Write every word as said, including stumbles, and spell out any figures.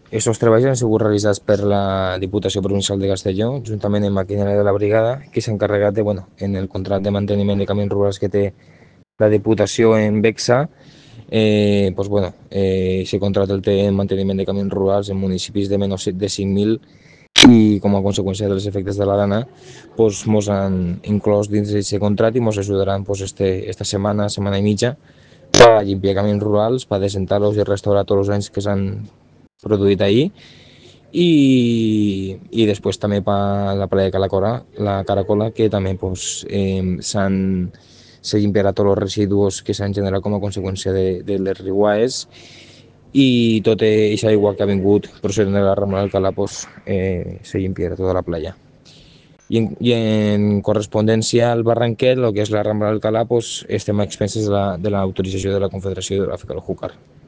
Aquests treballs han sigut realitzats per la Diputació Provincial de Castelló, juntament amb maquinària de la brigada, que s'ha encarregat de, bueno, en el contracte de manteniment de camins rurals que té la Diputació en Bexa, eh, pues, bueno, eh, se contracta el té en manteniment de camins rurals en municipis de menys de cinc mil i com a conseqüència dels efectes de la dana pues, mos han inclòs dins d'aquest contracte i mos ajudaran pues, este, esta setmana, setmana i mitja per limpiar camins rurals, per desentar-los i restaurar tots els anys que s'han produït ahir i, i després també per la playa de Caracola, la Caracola que també pues, eh, s'han se limpiarà tots els residus que s'han generat com a conseqüència de, de les riuades i tota aquesta aigua que ha vingut procedent de la Rambla d'Alcalá pues, eh, se limpiarà tota la playa. I en, i en correspondència al Barranquet, el que és la Rambla d'Alcalá, pues, estem a expenses de l'autorització de, la de la Confederació Hidrogràfica del Júcar.